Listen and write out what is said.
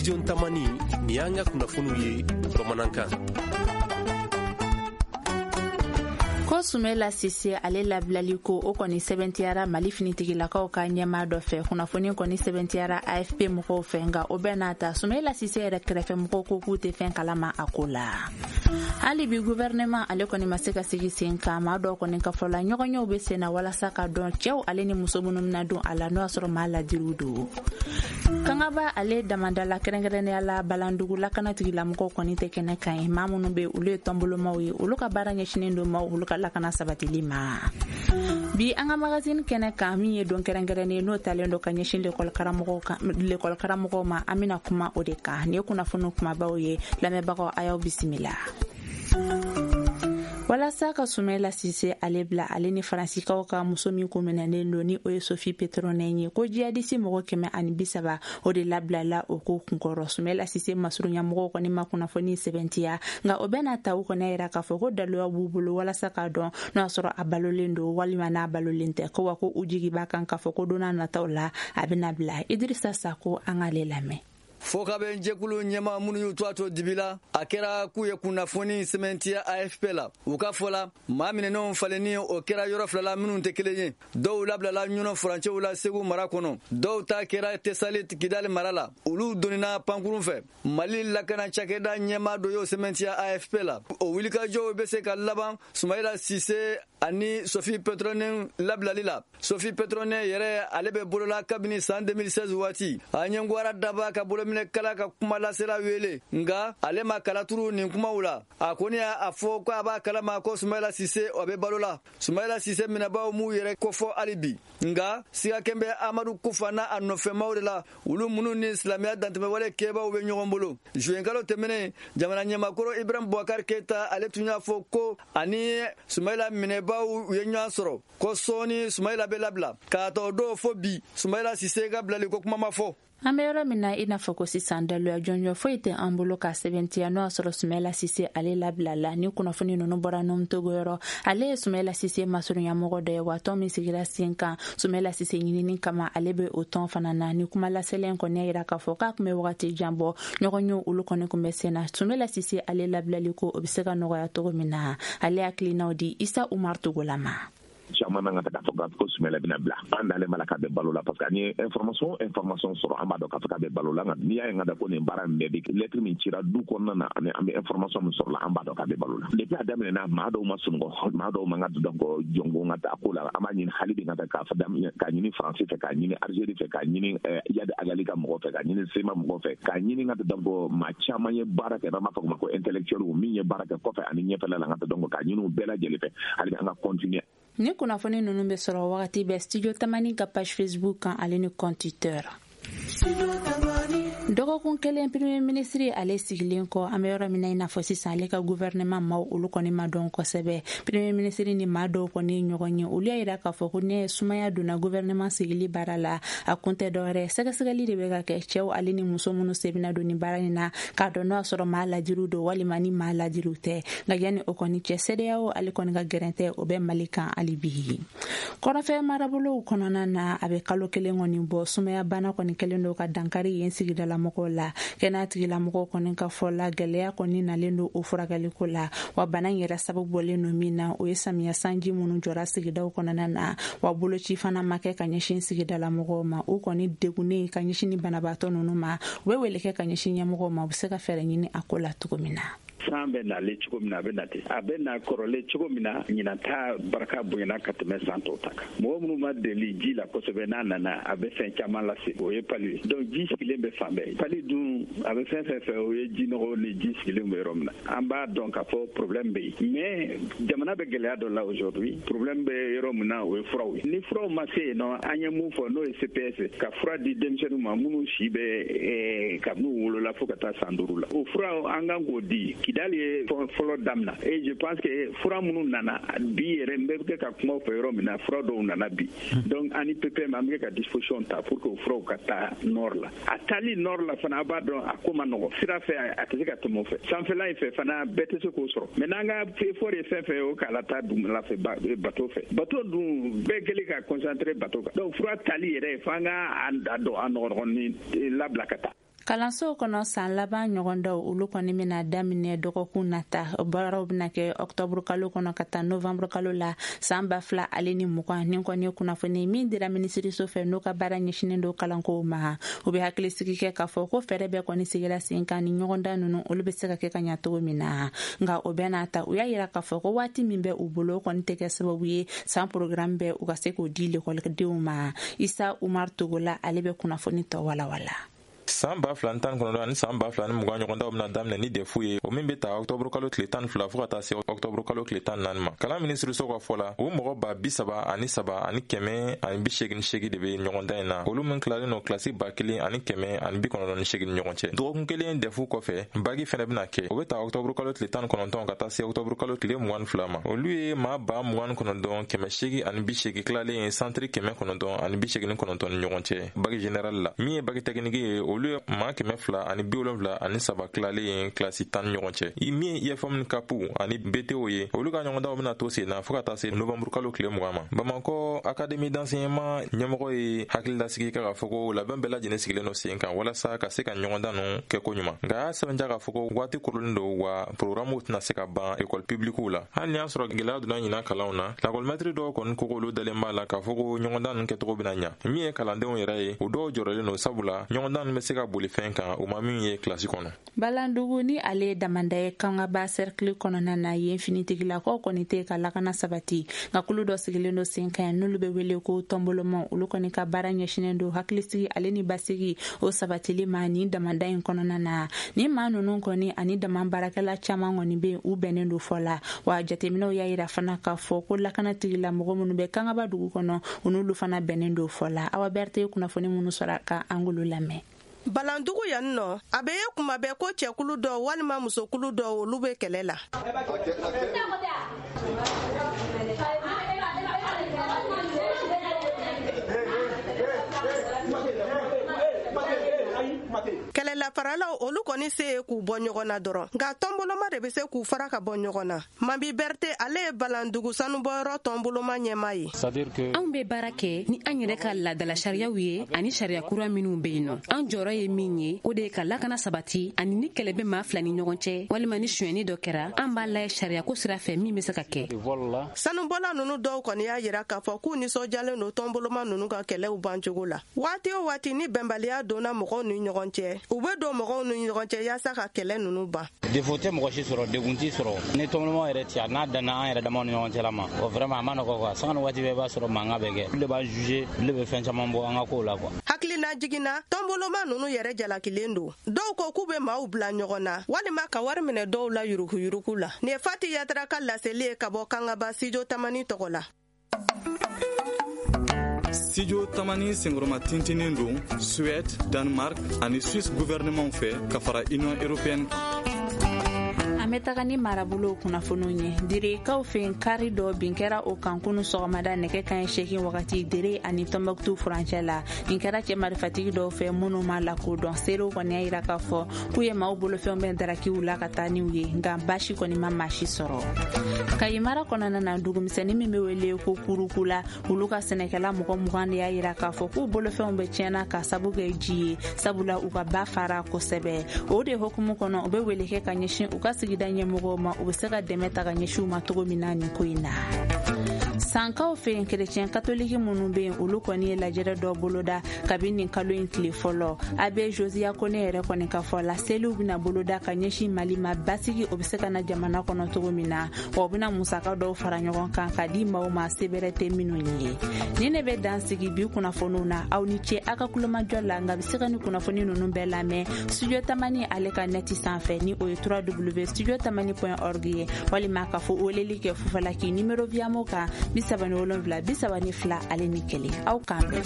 Studio Tamani, nin y'an ka kunnafoniw ye bamanankan. Ko Sumela Sise ale labilali ko o kɔni sɛbɛntiyara Mali finitigilakaw ka ɲɛmaa dɔ fɛ. Kunnafoni kɔni sɛbɛntiyara AFP mɔgɔw fɛ, nka o bɛɛ n'a ta, Sumela Sise yɛrɛ kɛrɛfɛ mɔgɔw ko k'u tɛ fɛn kalama a ko la. Hali bi, gouvernement ale kɔni ma se ka sigi sen kan. Maa dɔw kɔni ka fɔ la, ɲɔgɔnyew bɛ sen na walasa ka dɔn cɛw ale ni muso minnu bɛna don a la, n'o y'a sɔrɔ maa ladiriw don. Kangaba ale damandala, kɛrɛnkɛrɛnnenya la Balandugu lakana tigilamɔgɔw kɔni tɛ kɛnɛ kan ye. Maa minnu bɛ, olu ye tɔnbolomaw ye, olu ka baara ɲɛsinen don maaw olu ka lakana sabatili ma. Bi an ka magazine kɛnɛ kan, min ye don kɛrɛnkɛrɛnnen n'o talen don ka ɲɛsin lekɔli karamɔgɔw ma, an bɛna kuma o de kan. Nin ye kunnafoniw kumabaw ye. Lamɛnbagaw, a y'aw bisimila. Walasa ka Sumela Sise ale bila, ale ni Faransikaw ka muso min ko minɛnen don, ni o ye Sophie Pétronin ye, ko jihadisi mɔgɔ 130, o de labilala o ko kunkɔrɔ. Sumela Sise masurunya mɔgɔw kɔni ma kunnafoni sɛbɛntiya, nka o bɛna ta, u kɔni yira k'a fɔ ko daluya b'u bolo walasa k'a dɔn n'o y'a sɔrɔ a balolen don walima n'a balolen tɛ, ko wa ko u jigi b'a kan k'a fɔ ko don n'a nataw la, a bɛna bila. Idirisa Sako, an k'ale lamɛn. Fɔkabɛn jɛkulu ɲɛma minnu y'u to a to dibi la, a kɛra k'u ye kunnafoni sɛmɛntiya AFP la. U ka fɔ la, maa minɛnenw falenni, o kɛra yɔrɔ fila la minnu tɛ kelen ye. Dɔw labilala Ɲɔnɔ furancɛw la Segu mara kɔnɔ, dɔw ta kɛra Tesalit Kidali mara la. Olu donnina pankurun fɛ. Mali lakana cakɛda ɲɛma dɔ y'o sɛmɛntiya AFP la. O wulikajɔw bɛ se ka laban Sumayila Sise ani Sophie Pétronin labilali la. Sophie Pétronin yɛrɛ, ale bɛ bolola kabini san 2016 waati. A ɲɛngwara daba ka bolominɛ kala ka kuma lasela wele, nga ale ma kalaturu nin kumaw la. A kɔni y'a fɔ ko a b'a kalama ko Sumayila Sise, o bɛ balo la. Sumayila Sise minɛbaw m'u yɛrɛ kofɔ hali bi, nga sigakɛn bɛ Amadu Kufa n'a a nɔfɛmaw de la, olu minnu ni silamɛya dantɛmɛwale kɛbaw bɛ ɲɔgɔn bolo. Zuwenkalo tɛmɛnen, jamana ɲɛmakɔrɔ Ibrahim Boubacar Keyita, ale tun y'a fɔ ko ani Sumayila minɛbaw u ye ɲɔgɔn sɔrɔ, ko sɔɔni Sumayila bɛ labila. K'a tɔ don fo bi, Sumayila Sise ka bilali ko kuma ma fɔ. An bɛ yɔrɔ min na i n'a fɔ ko sisan, daluya jɔnjɔn foyi tɛ an bolo ka sɛbɛntiya n'o y'a sɔrɔ Sumɛla Sise ale labila la. Ni kunnafoni ninnu bɔra Togo yɔrɔ, ale ye Sumɛla Sise masurunyamɔgɔ dɔ ye, wa tɔn min sigira sen kan Sumɛla Sise ɲinini kama, ale bɛ o tɔn fana na. Ni kuma lasɛlɛn kɔni y'a yira k'a fɔ k'a tun bɛ wagati jan bɔ, ɲɔgɔn ye olu kɔni tun bɛ sen na Sumɛla Sise ale labilali ko o bɛ se ka nɔgɔya cogo min na. Ale hakilinaw di Isa Umar Togola ma. Caman na ka taa fɔ ko Sumɛlɛ bɛna bila, an dalen b'a la k'a bɛ balo la, parce que an ye information sɔrɔ, an b'a dɔn k'a fɔ k'a bɛ balo la. Nka n'i y'a ye ka da ko nin baara in bɛɛ bɛ lettre min cira du kɔnɔna na, ani an bɛ information min sɔrɔ la, an b'a dɔn k'a bɛ balo la. Depuis a daminɛna, maa dɔw ma sunɔgɔ, maa dɔw man ka donc jɔnko ka taa ko la. An b'a ɲini hali bi ka taa k'a fɔ k'a ɲini Faransi fɛ, k'a ɲini Algérie fɛ, k'a ɲini Iyad Ag Ghali ka mɔgɔ fɛ, k'a ɲini CMA mɔgɔ fɛ, k'a ɲini ka donc maa caman ye baara kɛ, n'an b'a fɔ o ma ko intellectuel, min ye baara kɛ kɔfɛ ani ɲɛfɛla la, ka donc k'a ɲini u bɛɛ lajɛlen fɛ, hali bi an ka continuer. Ni kunnafoni ninnu bɛ sɔrɔ wagati bɛɛ Studio Tamani ka page Facebook kan, ale ni compte Twitter. Dɔgɔkun kelen premier ministre ale sigilen kɔ, an bɛ yɔrɔ min na i n'a fɔ sisan, ale ka gouvernement maaw olu kɔni ma dɔn kosɛbɛ. Premier ministre ni maa dɔw kɔni ye ɲɔgɔn ye, olu y'a yira k'a fɔ ko ne sumaya donna gouvernement sigili baara la, a kun tɛ dɔwɛrɛ, sɛgɛsɛgɛli de bɛ ka kɛ cɛw ale ni muso minnu sen don ni baara in na, k'a dɔn n'o y'a sɔrɔ maa ladiriw don walima ni maa ladiriw tɛ. Nka yanni o kɔni cɛ, CEDEAO ale kɔni ka gɛrɛntɛ, o bɛ Mali kan hali bi. Kɔrɔfɛ marabolow kɔnɔna na, a bɛ kalo 1 kɔni bɔ, sumaya bana kɔni kɛlen don ka dankari yen sigidalamɔgɔw la. Kɛnɛya tigilamɔgɔw kɔni ka fɔ la, gɛlɛya kɔni nalen don o furakɛliko la, wa bana in yɛrɛ sababu bɔlen don min na, o ye samiya sanji minnu jɔra sigidaw kɔnɔna na, wa boloci fana ma kɛ ka ɲɛsin sigidalamɔgɔw ma. U kɔni degunnen ka ɲɛsin ni banabaatɔ ninnu ma, u bɛ wele kɛ ka ɲɛsin ɲɛmɔgɔw ma, u bɛ se ka fɛɛrɛ ɲini a ko la cogo min na. San bɛ nalen cogo min na, a bɛ na ten. A bɛ na kɔrɔlen cogo min na, ɲinan ta barika bonyana ka tɛmɛ san tɔw ta kan. Mɔgɔ minnu ma deli ji la kosɛbɛ, n'a nana, a bɛ fɛn caman lase, o ye palu ye. Donc ji sigilen bɛ fan bɛɛ. Palu dun, a bɛ fɛn fɛn fɛ, o ye ji nɔgɔ ni ji sigilen bɛ yɔrɔ min na. An b'a dɔn k'a fɔ problème bɛ yen, mais jamana bɛ gɛlɛya dɔ la aujourd'hui. Problème bɛ yɔrɔ min na, o ye furaw ye. Ni furaw ma se yen nɔ, an ye mun fɔ, n'o ye CPS, ka fura di denmisɛnninw ma minnu si bɛ kabini u wolola fo ka taa san 5 la, o fura an kan k'o di. Kidali ye fɔlɔ damina et je pense que fura minnu nana bi yɛrɛ, n bɛ kɛ ka kuma fɛ yɔrɔ min na, fura dɔw nana bi. Donc ani PPM, an bɛ kɛ ka disposition ta pour que o furaw ka taa nord la. A taali nord la fana, a b'a dɔn a ko ma nɔgɔ. Sira fɛ, a tɛ se ka tɛmɛ o fɛ. Sanfɛla in fɛ fana, bɛɛ tɛ se k'o sɔrɔ. Mais n'an ka effort ye fɛn fɛn ye, o k'a la taa dugumala fɛ, bateau fɛ. Bateau dun, bɛɛ kɛlen ka concentrer bateau kan. Donc fura tali yɛrɛ, f'an ka a dɔn a nɔgɔnɔgɔnin labila ka taa. Kalansow kɔnɔ san laban ɲɔgɔndaw olu kɔni bɛna daminɛ dɔgɔkun nata. Baaraw bɛna kɛ ɔktɔburu kalo kɔnɔ ka taa novanburu kalo la san 2020. Nin kɔni ye kunnafoni min dira minisiriso fɛ n'o ka baara ɲɛsinnen don kalankow ma. U bɛ hakilisigi kɛ k'a fɔ ko fɛɛrɛ bɛɛ kɔni sigira sen kan ni ɲɔgɔndan ninnu olu bɛ se ka kɛ ka ɲa cogo min na. Nka o bɛɛ n'a ta, u y'a yira k'a fɔ ko waati min bɛ u bolo o kɔni tɛ kɛ sababu ye san programme bɛɛ u ka se k'o di lekɔlidenw ma. Isa Umar Togola ale bɛ kunnafoni tɔ walawala. San 2019 ani san 2020 ɲɔgɔndaw bɛna daminɛ ni DEF ye, o min bɛ ta ɔktɔburu kalo tile 12 fo ka taa se ɔktɔburu kalo tile 14 ma. Kalan minisiriso ka fɔ la, o mɔgɔ 33,188 de bɛ ɲɔgɔndan in na, olu min tilalen don kilasi 1,198 ni ɲɔgɔn cɛ. Dɔgɔkun kelen DEF kɔfɛ, bagi fɛnɛ bɛna kɛ, o bɛ ta ɔktɔburu kalo tile 19 ka taa se ɔktɔburu kalo tile 22 ma. Olu ye maa 29,880 tilalen ye santiri 989 ni ɲɔgɔn cɛ bagi général la. Min ye bagi technique ye, olu ye maa 273 tilalen ye kilasi 10 ni ɲɔgɔn cɛ. Min ye IFM ni CAP ani BTO ye, olu ka ɲɔgɔndanw bɛna to sen na fo ka taa se novanburu kalo tile 20 ma. Bamakɔ Académie d'enseignement ɲɛmɔgɔ ye hakililasigi kɛ k'a fɔ ko labɛn bɛɛ lajɛlen sigilen don sen kan walasa ka se ka ɲɔgɔndan ninnu kɛ ko ɲuman. Nka a y'a sɛbɛntiya k'a fɔ ko waati korolen don, wa programme tɛna se ka ban école publique la. Hali ni y'a sɔrɔ gɛlɛya donna ɲinan kalanw na, lakɔlimɛtiri dɔw kɔni ko k'olu dalen b'a la k'a fɔ ko ɲɔgɔndan ninnu kɛcogo bɛna ɲa. Min ye kalandenw yɛrɛ ye, o dɔw jɔrɔlen don, sabula ɲɔgɔndan ninnu bɛ se ka boli fɛn kan u ma min ye kilasi kɔnɔ. Balandugu ni ale ye damanda ye Kangaba cercle kɔnɔna na, yen finitigilakaw kɔni tɛ ka lakana sabati. Nka kulu dɔ sigilen don sen kan n'olu bɛ wele ko tɔnboloma, olu kɔni ka baara ɲɛsinnen don hakilisigi ale ni basigi o sabatili ma nin damanda in kɔnɔna na. Ni maa ninnu kɔni ani dama baarakɛla caman kɔni bɛ u bɛnnen don fɔ la. Wa jateminɛw y'a yira fana k'a fɔ ko lakana tigilamɔgɔ minnu bɛ Kangaba dugu kɔnɔ, u n'olu fana bɛnnen don fɔ la. Awa Berthe ye kunnafoni minnu sɔrɔ ka an k'olu lamɛn. Balandugu yan nɔ, a bɛ ye kuma bɛɛ ko cɛkulu dɔw walima musokulu dɔw olu bɛ kɛlɛ la. Kɛlɛlafaralaw olu kɔni se ye k'u bɔ ɲɔgɔn na dɔrɔn, nka tɔnboloma de bɛ se k'u fara ka bɔ ɲɔgɔn na. Mabi Berthe ale ye Balandugu sanubɔyɔrɔ tɔnboloma ɲɛmaa ye. Anw bɛ baara kɛ ni an yɛrɛ ka laadala sariyaw ye ani sariya kura minnu bɛ yen nɔ. An jɔyɔrɔ ye min ye, o de ye ka lakana sabati, ani ni kɛlɛ bɛ maa fila ni ɲɔgɔn cɛ walima ni sonyɛni dɔ kɛra, an b'a lajɛ sariyako sira fɛ min bɛ se ka kɛ. Sanubɔla ninnu dɔw kɔni y'a yira k'a fɔ k'u nisɔndiyalen don tɔnboloma ninnu ka kɛlɛw bancogo la. Waati o waati ni bɛnbaliya donna mɔgɔw ni ɲɔgɔn cɛ, u bɛ don mɔgɔw ni ɲɔgɔn cɛ yaasa ka kɛlɛ ninnu ban. Defo tɛ mɔgɔ si sɔrɔ, degun t'i sɔrɔ. Ni tɔnboloma yɛrɛ ci, a n'a danna an yɛrɛ damaw ni ɲɔgɔn cɛla ma, o vraiment a ma nɔgɔ quoi. Sanga ni waati bɛɛ i b'a sɔrɔ mankan bɛ kɛ. Olu de b'an juger, olu de bɛ fɛn caman bɔ an ka kow la quoi. Hakilina jiginna, tɔnboloma ninnu yɛrɛ jalakilen don. Dɔw ko k'u bɛ maaw bila ɲɔgɔn na walima ka wari minɛ dɔw la yuruguyurugu la. Nin ye Fati Yatara ka laseli ye ka bɔ Kangaba Studio Tamani tɔgɔ la. Studio Tamani senkɔrɔma tintinen don Suède, Danemark ani Suisse gouvernement fɛ ka fara Union européenne kan. An bɛ taga ni marabolow kunnafoniw ye. Direkaw fɛ kari dɔ bin kɛra o kan kunu sɔgɔmada nɛgɛ kanɲɛ 8 wagati Dere ani Tɔnbɔkutu furancɛ la. Nin kɛra cɛ marifatigi dɔw fɛ minnu ma lakodɔn. Seerew kɔni y'a yira k'a fɔ k'u ye maaw bolofɛnw bɛɛ darakiw la ka taa n'u ye, nka baasi kɔni ma maa si sɔrɔ. Kayi mara kɔnɔna na, dugumisɛnnin min bɛ wele ko Kurukula, olu ka sɛnɛkɛla mɔgɔ 20 de y'a yira k'a fɔ k'u bolofɛnw bɛ tiɲɛna ka sabu kɛ ji ye, sabula u ka ba fara kosɛbɛ. O de hukumu kɔnɔ, u bɛ wele kɛ ka ɲɛsin u ka sigida ɲɛmɔgɔw ma, u bɛ se ka dɛmɛ ta ka ɲɛsin u ma cogo min na nin ko in na. Sankaw fɛ yen, kerecɛn katoliki minnu bɛ yen, olu kɔni ye lajɛrɛ dɔ boloda kabini nin kalo in tile fɔlɔ. Abbé Josia Kone yɛrɛ kɔni ka fɔ la, seliw bɛna boloda ka ɲɛsin Mali ma, basigi o bɛ se ka na jamana kɔnɔ cogo min na, wa u bɛna musaka dɔw fara ɲɔgɔn kan ka di maaw ma sebɛrɛ tɛ minnu ye. Nin de bɛ dan sigi bi kunnafoniw na. Aw ni ce aw ka kulomajɔ la, nka bɛ se ka ni kunnafoni ninnu bɛɛ lamɛn Studio Tamani ale ka nɛti sanfɛ, ni o ye www.studiotamani.org ye, walima k'a fɔ weleli kɛ Fufalaki numéro Viamo kan 37 32 ale ni 1. Aw k'an bɛn.